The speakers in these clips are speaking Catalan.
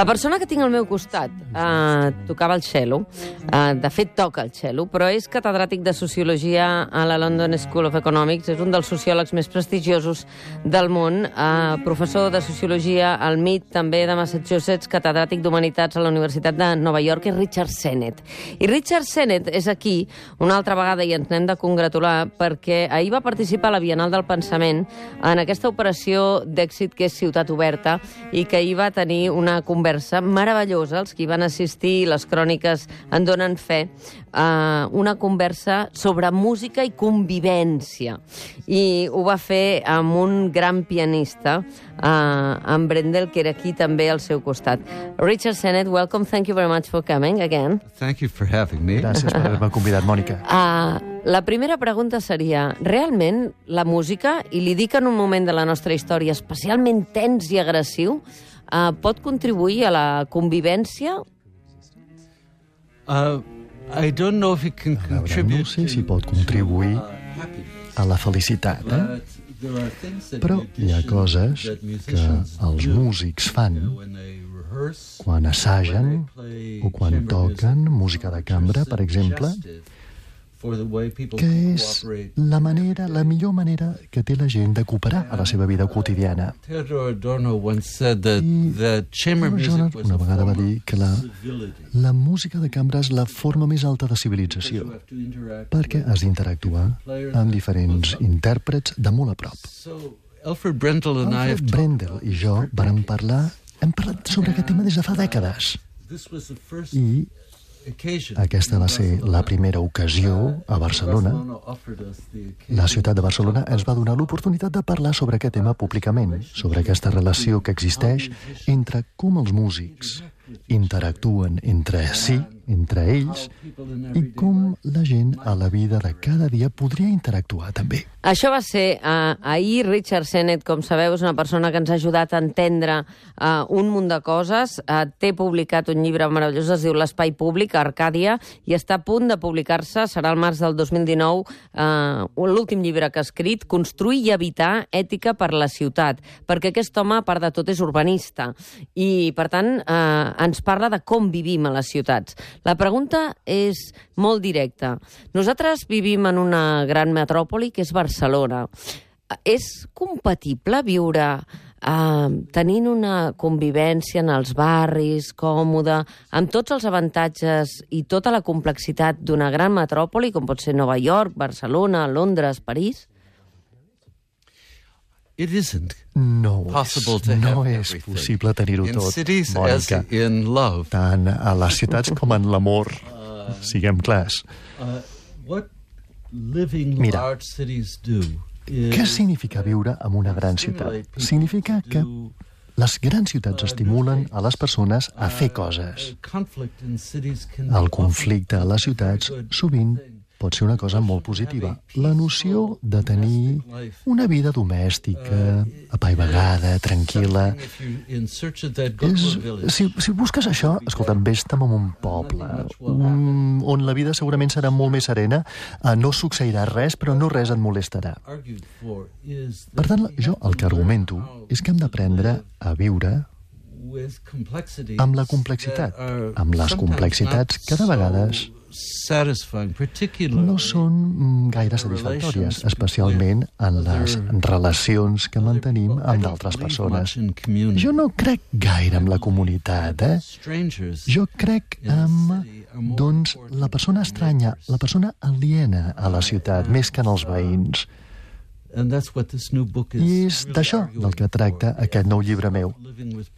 La persona que tinc al meu costat tocava el cello, de fet toca el cello, però és catedràtic de Sociologia a la London School of Economics, és un dels sociòlegs més prestigiosos del món, professor de Sociologia al MIT, també de Massachusetts, catedràtic d'Humanitats a la Universitat de Nova York, és Richard Sennett. I Richard Sennett és aquí una altra vegada i ens n'hem de congratular perquè ahir va participar a la Bienal del Pensament en aquesta operació d'èxit que és Ciutat Oberta i que ahir va tenir una conversa meravellosa, els que hi van assistir, les cròniques en donen fe, una conversa sobre música i convivència. I ho va fer amb un gran pianista, amb Brendel, que era aquí també al seu costat. Richard Sennett, welcome, thank you very much for coming again. Thank you for having me. Gràcies per haver-me convidat, Mònica. La primera pregunta seria, realment la música, i li dic en un moment de la nostra història especialment tens i agressiu, pot contribuir a la convivència? I don't know if it can contribute No sé si pot contribuir a la felicitat, però hi ha coses que els músics fan quan assagen o quan toquen música de cambra, per exemple, que és la millor manera que té la gent de cooperar a la seva vida quotidiana. Theodore Adorno once said that chamber Theodore music was una a vegada va form dir que la música de cambra és la forma més alta de civilització, perquè has d'interactuar amb diferents intèrprets de molt a prop. Alfred Brendel and I have Alfred Brendel i jo hem parlat sobre aquest tema des de fa dècades. I aquesta va ser la primera ocasió a Barcelona. La ciutat de Barcelona ens va donar l'oportunitat de parlar sobre aquest tema públicament, sobre aquesta relació que existeix entre com els músics interactuen entre si, entre ells, i com la gent a la vida de cada dia podria interactuar també. Això va ser ahir. Richard Sennett, com sabeu, és una persona que ens ha ajudat a entendre un munt de coses. Té publicat un llibre meravellós, es diu L'espai públic, a Arcàdia, i està a punt de publicar-se, serà el març del 2019, l'últim llibre que ha escrit, Construir i habitar, ètica per la ciutat, perquè aquest home, a part de tot, és urbanista, i, per tant, ens parla de com vivim a les ciutats. La pregunta és molt directa. Nosaltres vivim en una gran metròpoli que és Barcelona. És compatible viure tenint una convivència en els barris, còmoda, amb tots els avantatges i tota la complexitat d'una gran metròpoli, com pot ser Nova York, Barcelona, Londres, París? It isn't No possible to és have possible tenir-ho in tot, cities as Mònica. in love. Tant a les ciutats com en l'amor, siguem clars. What living Mira, large cities do què significa viure en una gran ciutat? Significa que les grans ciutats estimulen a les persones a fer coses. El conflicte a les ciutats sovint pot ser una cosa molt positiva. La noció de tenir una vida domèstica, apaivagada, tranquil·la. Si busques això, escolta, vés-te'n a un poble on la vida segurament serà molt més serena, no succeirà res, però no res et molestarà. Per tant, jo el que argumento és que hem d'aprendre a viure amb la complexitat, amb les complexitats que de vegades no són gaire satisfactòries, especialment en les relacions que mantenim amb d'altres persones. Jo no crec gaire en la comunitat, Jo crec en, doncs, la persona estranya, la persona aliena a la ciutat, més que en els veïns. I és d'això del que tracta aquest nou llibre meu.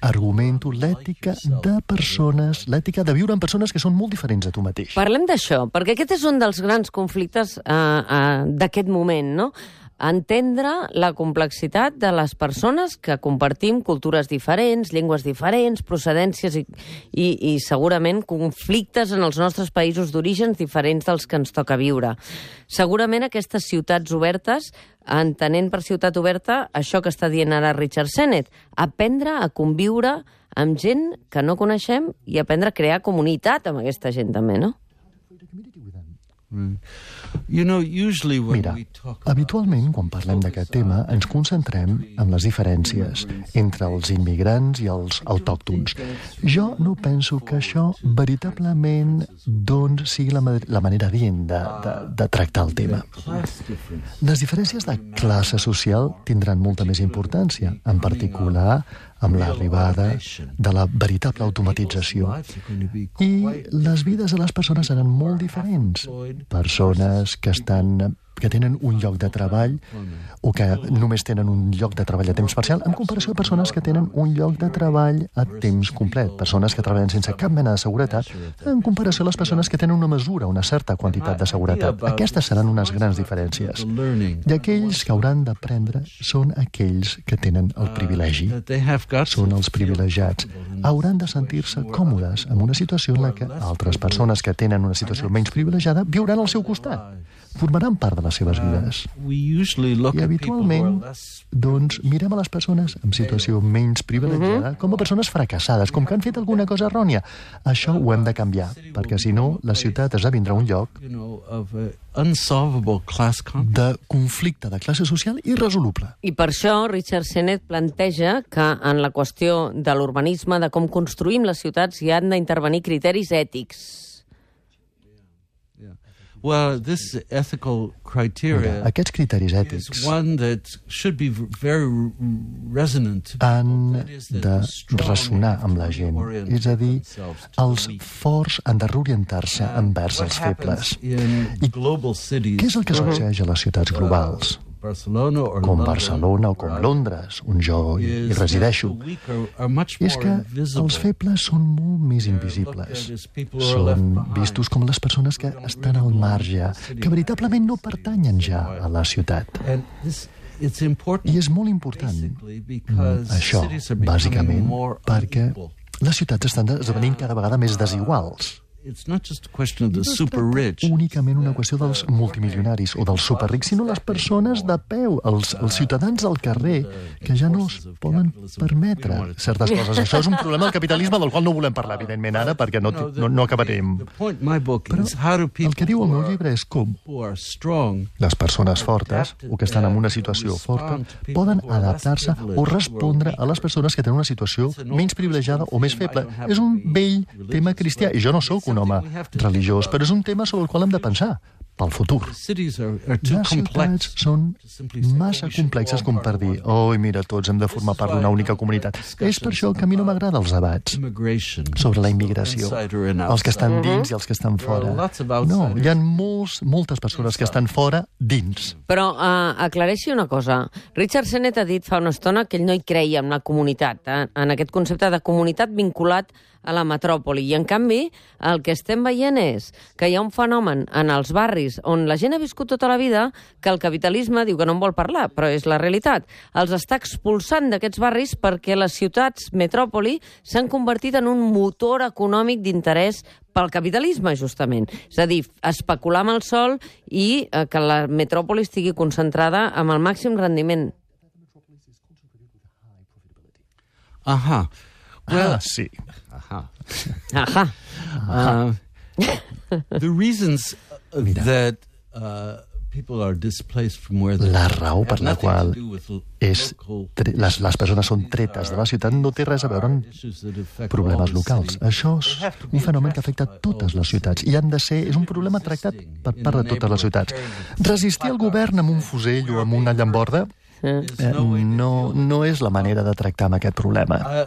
Argumento l'ètica de persones, l'ètica de viure amb persones que són molt diferents a tu mateix. Parlem d'això, perquè aquest és un dels grans conflictes d'aquest moment, no? Entendre la complexitat de les persones que compartim cultures diferents, llengües diferents, procedències i segurament conflictes en els nostres països d'orígens diferents dels que ens toca viure. Segurament aquestes ciutats obertes, entenent per ciutat oberta això que està dient ara Richard Sennett, aprendre a conviure amb gent que no coneixem i aprendre a crear comunitat amb aquesta gent també, no? Mira, habitualment, quan parlem d'aquest tema, ens concentrem en les diferències entre els immigrants i els autòctons. Jo no penso que això veritablement sigui la manera adient de tractar el tema. Les diferències de classe social tindran molta més importància, en particular amb l'arribada de la veritable automatització. I les vides de les persones seran molt diferents. Persones que tenen un lloc de treball o que només tenen un lloc de treball a temps parcial, en comparació a persones que tenen un lloc de treball a temps complet. Persones que treballen sense cap mena de seguretat, en comparació a les persones que tenen una certa quantitat de seguretat. Aquestes seran unes grans diferències. I aquells que hauran d'aprendre són aquells que tenen el privilegi. Són els privilegiats. Hauran de sentir-se còmodes en una situació en la que altres persones que tenen una situació menys privilegiada viuran al seu costat. Formaran part de les seves vides. I habitualment, doncs, mirem a les persones en situació menys privilegiada com a persones fracassades, com que han fet alguna cosa errònia. Això ho hem de canviar, perquè si no, la ciutat esdevindrà un lloc de conflicte de classe social irresoluble. I per això Richard Sennett planteja que en la qüestió de l'urbanisme, de com construïm les ciutats, hi han d'intervenir criteris ètics. Well, this ethical criteria aquests criteris ètics is one that should be very resonant han de ressonar amb la gent. És a dir, els forts han de reorientar-se envers els febles. I què és el que succeeix a les ciutats globals? Com Barcelona o com Londres, on jo hi resideixo, és que els febles són molt més invisibles. Són vistos com les persones que estan al marge, que veritablement no pertanyen ja a la ciutat. I és molt important això, bàsicament, perquè les ciutats estan esdevenint cada vegada més desiguals. No és únicament una qüestió dels multimilionaris o dels superrics, sinó les persones de peu, els ciutadans al carrer, que ja no es poden permetre certes coses. Això és un problema del capitalisme del qual no volem parlar, evidentment, ara, perquè no acabarem. Però el que diu el meu llibre és com les persones fortes, o que estan en una situació forta, poden adaptar-se o respondre a les persones que tenen una situació menys privilegiada o més feble. És un vell tema cristià, i jo no sóc un home religiós, però és un tema sobre el qual hem de pensar pel futur. Les ciutats són massa complexes com per dir mira, tots hem de formar part d'una única comunitat. És per això que a mi no m'agraden els debats sobre la immigració, els que estan dins i els que estan fora. No, hi ha moltes persones que estan fora dins. Però aclareixi una cosa. Richard Sennett ha dit fa una estona que ell no hi creia en la comunitat, en aquest concepte de comunitat vinculat a la metròpoli. I, en canvi, el que estem veient és que hi ha un fenomen en els barris on la gent ha viscut tota la vida que el capitalisme diu que no en vol parlar, però és la realitat. Els està expulsant d'aquests barris perquè les ciutats metròpoli s'han convertit en un motor econòmic d'interès pel capitalisme, justament. És a dir, especular amb el sòl i que la metròpoli estigui concentrada amb el màxim rendiment. Sí. The reasons that people are displaced from where they la raó per la qual les persones són tretes de la ciutat no té res a veure amb problemes locals. Això és un fenomen que afecta totes les ciutats i és un problema tractat per part de totes les ciutats. Resistir al govern amb un fusell o amb una llamborda no és la manera de tractar amb aquest problema.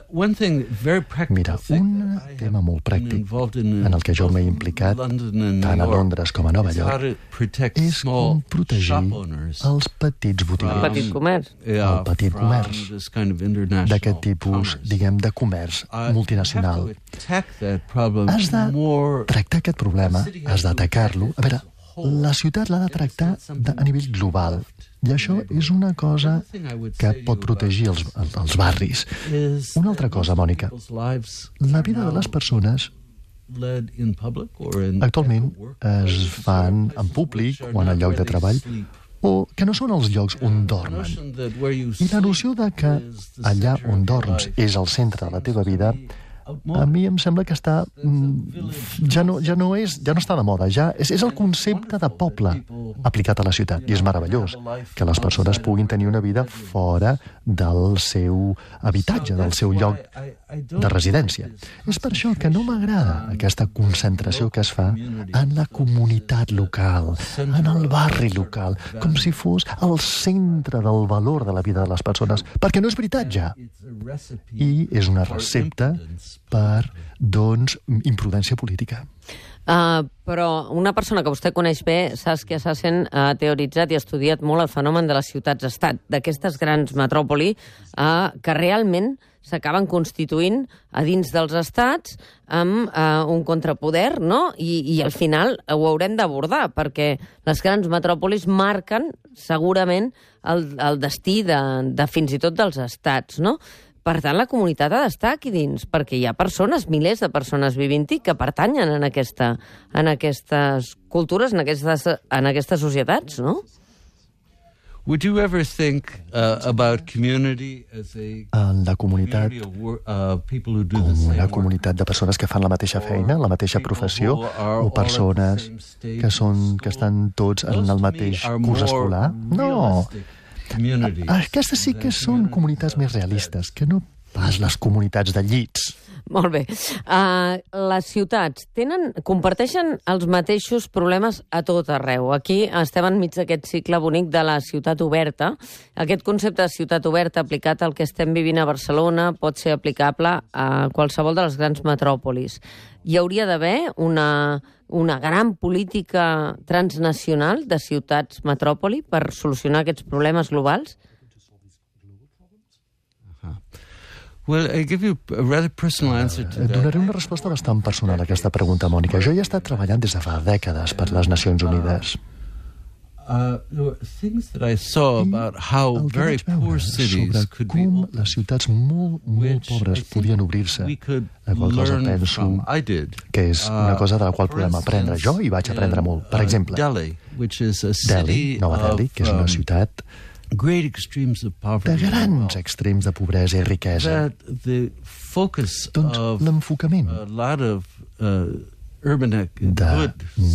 Mira, un tema molt pràctic en el que jo m'he implicat tant a Londres com a Nova York és com protegir els petits botiguers. El petit comerç d'aquest tipus, diguem, de comerç multinacional. Has de tractar aquest problema, has d'atacar-lo. A veure, la ciutat l'ha de tractar a nivell global. I això és una cosa que pot protegir els barris. Una altra cosa, Mònica, la vida de les persones actualment es fan en públic o en el lloc de treball o que no són els llocs on dormen. I la noció de que allà on dorms és el centre de la teva vida a mi em sembla que està ja no està de moda, és el concepte de poble aplicat a la ciutat, i és meravellós que les persones puguin tenir una vida fora del seu habitatge, del seu lloc de residència. És per això que no m'agrada aquesta concentració que es fa en la comunitat local, en el barri local, com si fos el centre del valor de la vida de les persones, perquè no és veritat ja. I és una recepta per, doncs, imprudència política. Però una persona que vostè coneix bé, Saskia Sassen, ha teoritzat i ha estudiat molt el fenomen de les ciutats-estat, d'aquestes grans metròpoli que realment s'acaben constituint a dins dels estats amb un contrapoder, no? I al final ho haurem d'abordar, perquè les grans metròpolis marquen segurament el destí de fins i tot dels estats, no? Per tant, la comunitat ha d'estar aquí dins, perquè hi ha persones, milers de persones vivint-hi, que pertanyen en aquestes cultures, en aquestes societats, no? Would you ever think about community as la comunitat com una comunitat de persones que fan la mateixa feina, la mateixa professió, o persones que estan tots en el mateix curs escolar? No! Aquestes sí que són comunitats més realistes, que no pas les comunitats de llits. Molt bé. Les ciutats comparteixen els mateixos problemes a tot arreu. Aquí estem enmig d'aquest cicle bonic de la ciutat oberta. Aquest concepte de ciutat oberta aplicat al que estem vivint a Barcelona pot ser aplicable a qualsevol de les grans metròpolis. Hi hauria d'haver una gran política transnacional de ciutats metròpoli per solucionar aquests problemes globals? Well, I give you a rather personal answer to that. Donaré una resposta bastant personal a aquesta pregunta, Mònica. Jo he estat treballant des de fa dècades per les Nacions Unides. There were things that I saw about how very poor cities could be opened, les ciutats molt pobres podien obrir-se. La qual cosa penso que és una cosa de la qual podem aprendre. Jo hi vaig aprendre molt. Per exemple, Delhi, Nova Delhi, que és una ciutat de grans extrems de pobresa i riquesa. Doncs l'enfocament de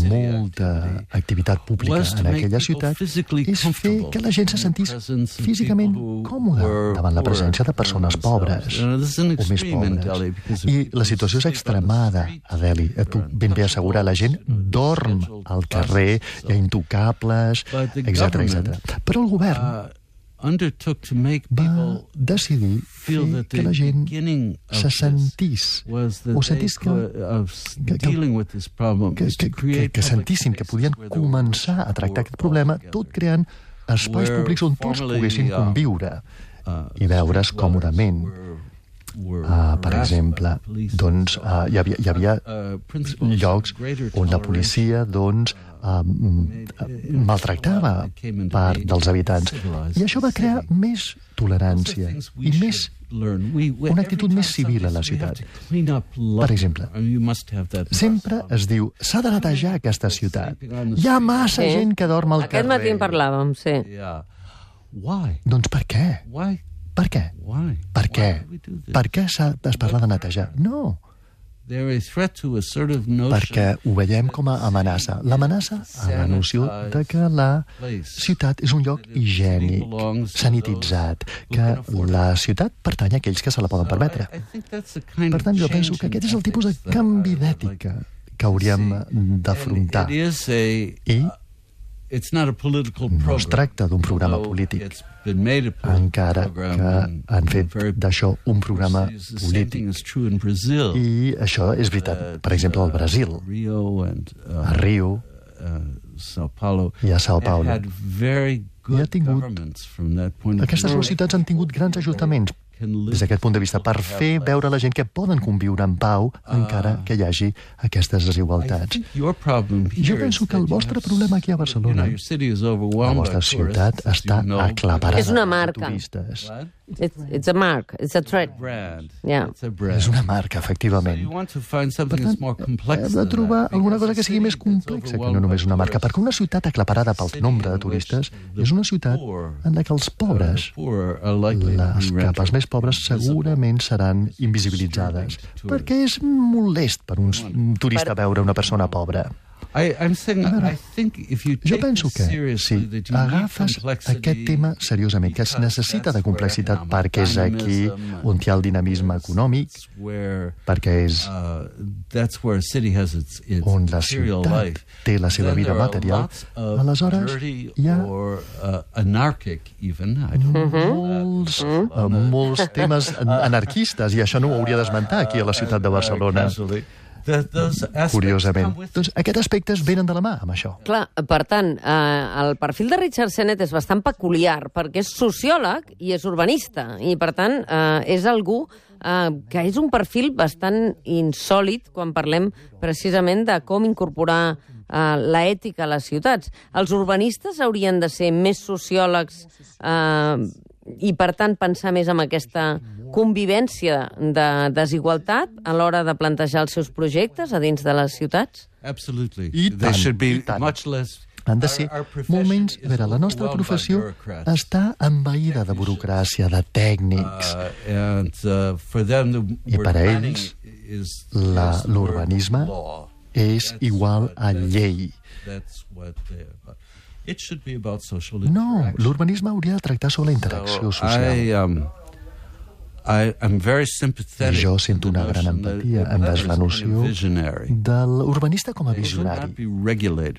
molta activitat pública en aquella ciutat és fer que la gent se sentís físicament còmoda davant la presència de persones pobres o més pobres. I la situació és extremada a Delhi. Et puc ben bé assegurar, la gent dorm al carrer, hi ha intocables, etc. Però el govern va decidir fer que la gent se sentís que sentissin que podien començar a tractar aquest problema tot creant espais públics on tots poguessin conviure i veure's còmodament. Per exemple, doncs, hi havia llocs on la policia maltractava part dels habitants. I això va crear més tolerància i una actitud més civil a la ciutat. Per exemple, sempre es diu s'ha de netejar aquesta ciutat. Hi ha massa gent que dorm al carrer. Aquest matí en parlàvem, sí. Doncs per què? Per què? Per què? Per què es parla de netejar? No. Perquè ho veiem com a amenaça. L'amenaça a la noció de que la ciutat és un lloc higiènic, sanititzat, que la ciutat pertany a aquells que se la poden permetre. Per tant, jo penso que aquest és el tipus de canvi d'ètica que hauríem d'afrontar. I no es tracta d'un programa polític, encara que han fet d'això un programa polític. I això és veritat, per exemple, al Brasil, a Rio i a Sao Paulo. Aquestes dues ciutats han tingut grans ajuntaments des d'aquest punt de vista, per fer veure a la gent que poden conviure en pau encara que hi hagi aquestes desigualtats. Jo penso que el vostre problema aquí a Barcelona, la vostra ciutat, està aclaparada de turistes. It's a mark, it's a trade. Brand. Yeah. It's a brand. És una marca, efectivament. You want to find Per something tant, that's more complex hem de than trobar that, alguna because cosa que sigui més a city complexa that's que no només una marca, overwhelmed by perquè una ciutat aclaparada pel nombre de turistes és una ciutat en la que els pobres, poor are likely to les be capes rented. més pobres, segurament seran invisibilitzades, perquè és molest per un turista veure una persona pobra. I'm saying, I think if you Jo take penso this que seriously, si that you need agafes complexity, aquest tema seriosament, que es necessita de complexitat perquè és aquí on hi ha el dinamisme econòmic, perquè és that's where a city has its on la material ciutat life. té la seva Then vida there are material, lots of aleshores dirty hi ha or anarchic even. I don't know. molts temes anarquistes, i això no ho hauria d'esmentar aquí a la ciutat de Barcelona. Curiosament. Doncs aquests aspectes venen de la mà amb això. Clar, per tant, el perfil de Richard Sennett és bastant peculiar, perquè és sociòleg i és urbanista, i per tant és algú que és un perfil bastant insòlit quan parlem precisament de com incorporar l'ètica a les ciutats. Els urbanistes haurien de ser més sociòlegs i, per tant, pensar més en aquesta convivència de desigualtat a l'hora de plantejar els seus projectes a dins de les ciutats? Absolutely. I They tant, should be i tant. much less. Han de ser molt menys... A veure, la nostra professió està envaïda de burocràcia, de tècnics. I per a ells, l'urbanisme és igual a llei. No, l'urbanisme hauria de tractar sobre la interacció social. I jo sento una gran empatia envers la noció de l'urbanista com a visionari.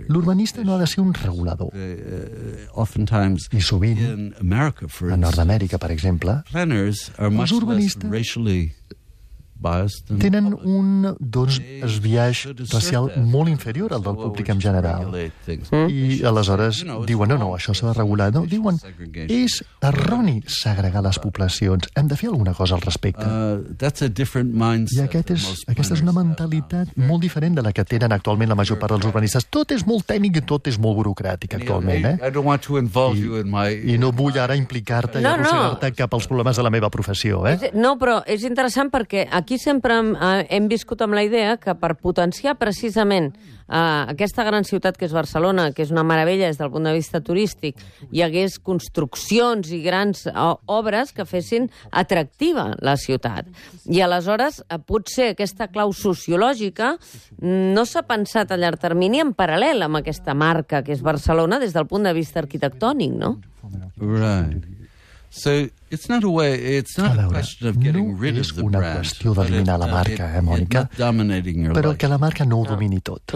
L'urbanista no ha de ser un regulador. I sovint, a Nord-Amèrica, per exemple, els urbanistes tenen un desviatge racial molt inferior al del públic en general. I aleshores diuen, no, això s'ha de regular. No, diuen, és erroni segregar les poblacions. Hem de fer alguna cosa al respecte. I aquesta és una mentalitat molt diferent de la que tenen actualment la major part dels urbanistes. Tot és molt tècnic i tot és molt burocràtic actualment, I no vull ara implicar-te i arrossegar-te cap als problemes de la meva professió, No, però és interessant perquè aquí sempre hem viscut amb la idea que per potenciar precisament aquesta gran ciutat que és Barcelona, que és una meravella des del punt de vista turístic, hi hagués construccions i grans obres que fessin atractiva la ciutat. I aleshores, potser aquesta clau sociològica no s'ha pensat a llarg termini en paral·lel amb aquesta marca que és Barcelona des del punt de vista arquitectònic, no? Right. So it's not a question of getting rid of the brand. No és una qüestió d'eliminar la marca, Mònica, però que la marca no ho domini tot.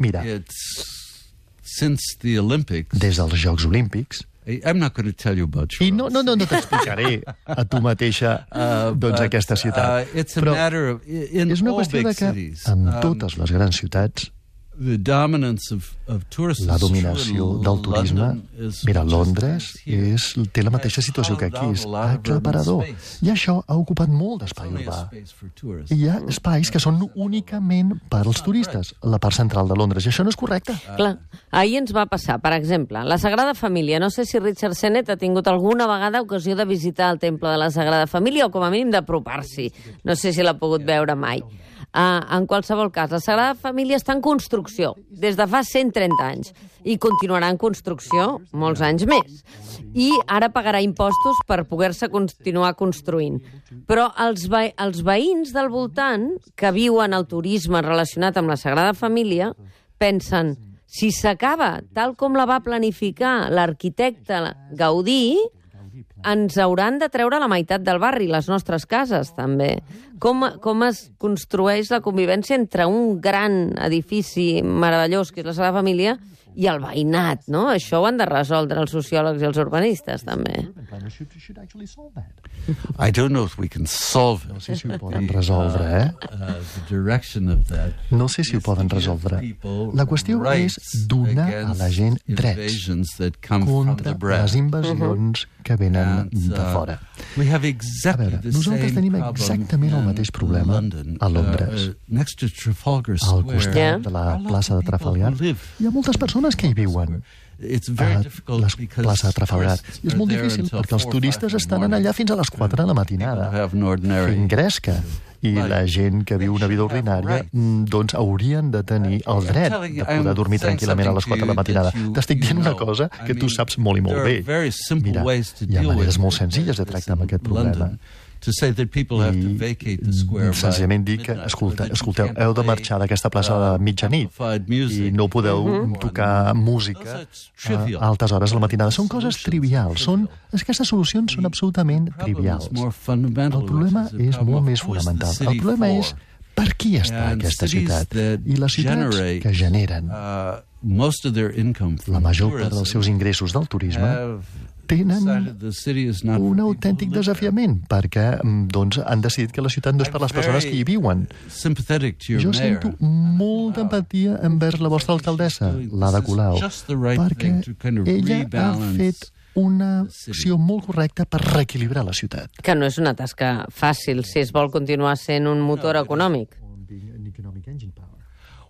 Mira, des dels Jocs Olímpics, I'm not going to tell you about I no t'explicaré a tu mateixa aquesta ciutat, però és una qüestió de que en totes les grans ciutats la dominació del turisme, mira, Londres té la mateixa situació que aquí, és aclaparador, i això ha ocupat molt d'espai urbà. I hi ha espais que són únicament per als turistes, la part central de Londres, i això no és correcte. Clar, ahir ens va passar, per exemple, la Sagrada Família. No sé si Richard Sennett ha tingut alguna vegada ocasió de visitar el temple de la Sagrada Família o com a mínim d'apropar-s'hi. No sé si l'ha pogut veure mai. En qualsevol cas, la Sagrada Família està en construcció des de fa 130 anys i continuarà en construcció molts anys més. I ara pagarà impostos per poder-se continuar construint. Però els veïns del voltant que viuen el turisme relacionat amb la Sagrada Família pensen, si s'acaba tal com la va planificar l'arquitecte Gaudí, ens hauran de treure la meitat del barri, les nostres cases, també. Com es construeix la convivència entre un gran edifici meravellós, que és la Sagrada Família, i el veïnat, no? Això ho han de resoldre els sociòlegs i els urbanistes, també. I don't know if we can solve it. No sé si ho poden resoldre, No sé si ho poden resoldre. La qüestió és donar a la gent drets contra les invasions que venen de fora. A veure, nosaltres tenim exactament el mateix problema a Londres. Al costat de la plaça de Trafalgar hi ha moltes persones que hi viuen plaça de Trafalgar. I és molt difícil perquè els turistes estan allà fins a les 4 de la matinada, fent gresca. I la gent que viu una vida ordinària doncs haurien de tenir el dret de poder dormir tranquil·lament a les 4 de la matinada. T'estic dient una cosa que tu saps molt i molt bé. Mira, hi ha maneres molt senzilles de tractar amb aquest problema. I senzillament dir que, escolteu, heu de marxar d'aquesta plaça a mitjanit i no podeu tocar música a altes hores de la matinada. Són coses trivials. Aquestes solucions són absolutament trivials. El problema és molt més fonamental. El problema és per qui està aquesta ciutat i les ciutats que generen la major part dels seus ingressos del turisme tenen un autèntic desafiament perquè han decidit que la ciutat no és per les persones que hi viuen. Jo sento molta empatia envers la vostra alcaldessa, l'Ada Colau, perquè ella ha fet una acció molt correcta per reequilibrar la ciutat. Que no és una tasca fàcil si es vol continuar sent un motor econòmic.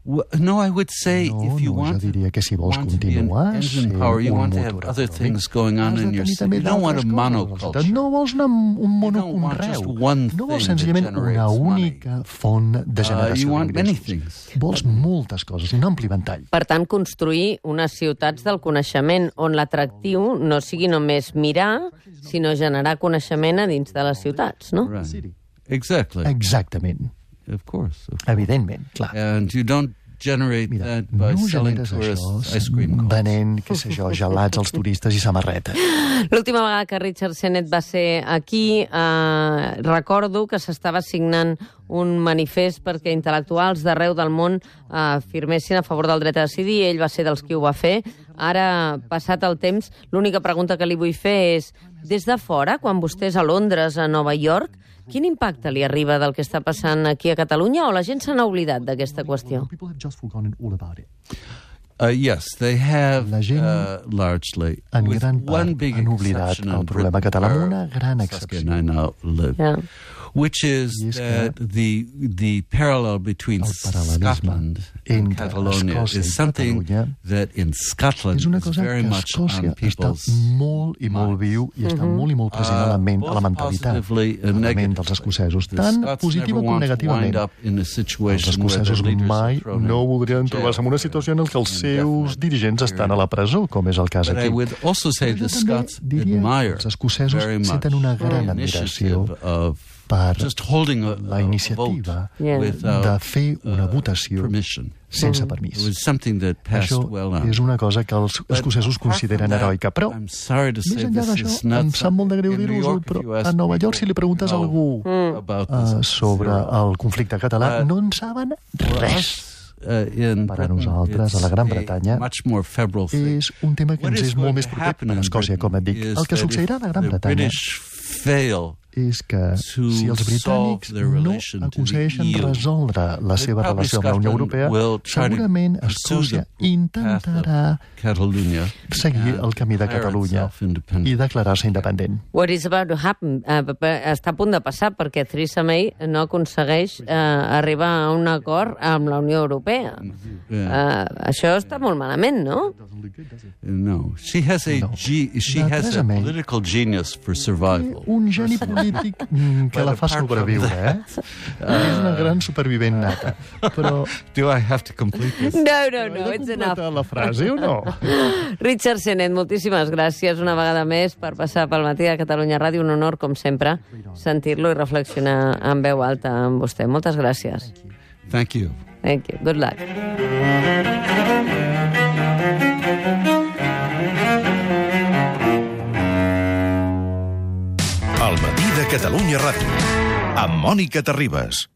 No, I would say if you jo diria que si vols continuar sent you un want to have motor other things going on in your city. You don't want a monoculture. No vols un monoconreu. No vols senzillament una única font de generació d'ingressos. Vols moltes coses, un ampli ventall. Per tant, construir unes ciutats del coneixement on l'atractiu no sigui només mirar, sinó generar coneixement a dins de les ciutats, no? Exactly. Exactament. Of course. Evidentment, clar. And you don't generate that by selling tourists ice cream cones. Venent, què sé jo, gelats als turistes i samarretes. L'última vegada que Richard Sennett va ser aquí, recordo que s'estava signant un manifest perquè intel·lectuals d'arreu del món firmessin a favor del dret a decidir. Ell va ser dels qui ho va fer. Ara, passat el temps, l'única pregunta que li vull fer és, des de fora, quan vostè és a Londres, a Nova York, quin impacte li arriba del que està passant aquí a Catalunya o la gent se n'ha oblidat d'aquesta qüestió? Yes, they have largely. En gran part han oblidat el problema català amb una gran excepció. Which is that the parallel between Scotland and Catalonia is something that in Scotland is very much on people's molt i molt viu i està molt i molt present a la mentalitat dels escocesos, tant positiva com negativament. Els escocesos mai no voldrien trobar-se en una situació en què els seus dirigents estan a la presó, com és el cas aquí. Però jo també diria que els escocesos senten una gran admiració per la iniciativa de fer una votació sense permís. Això és una cosa que els escocesos consideren heroica, però més enllà d'això, em sap molt de greu dir-ho, però a Nova York, si li preguntes a algú sobre el conflicte català, no en saben res. Per a nosaltres, a la Gran Bretanya, és un tema que ens és molt més proper per a Escòcia, com et dic. El que succeirà a la Gran Bretanya és que si els britànics no aconsegueixen resoldre la seva relació amb la Unió Europea, segurament Escòcia intentarà seguir el camí de Catalunya i declarar-se independent. What is about to happen? Està a punt de passar perquè Theresa May no aconsegueix arribar a un acord amb la Unió Europea. Això està molt malament, no? No. She has a political genius for survival. Un geni polític que la fa sobreviure, És una gran supervivent nata. Però... Do I have to complete this? No, it's enough. La frase o no? Richard Sennett, moltíssimes gràcies una vegada més per passar pel Matí de Catalunya Ràdio. Un honor, com sempre, sentir-lo i reflexionar en veu alta amb vostè. Moltes gràcies. Thank you. Thank you. Good luck. El Matí de Catalunya Ràdio, amb Mònica Terribas.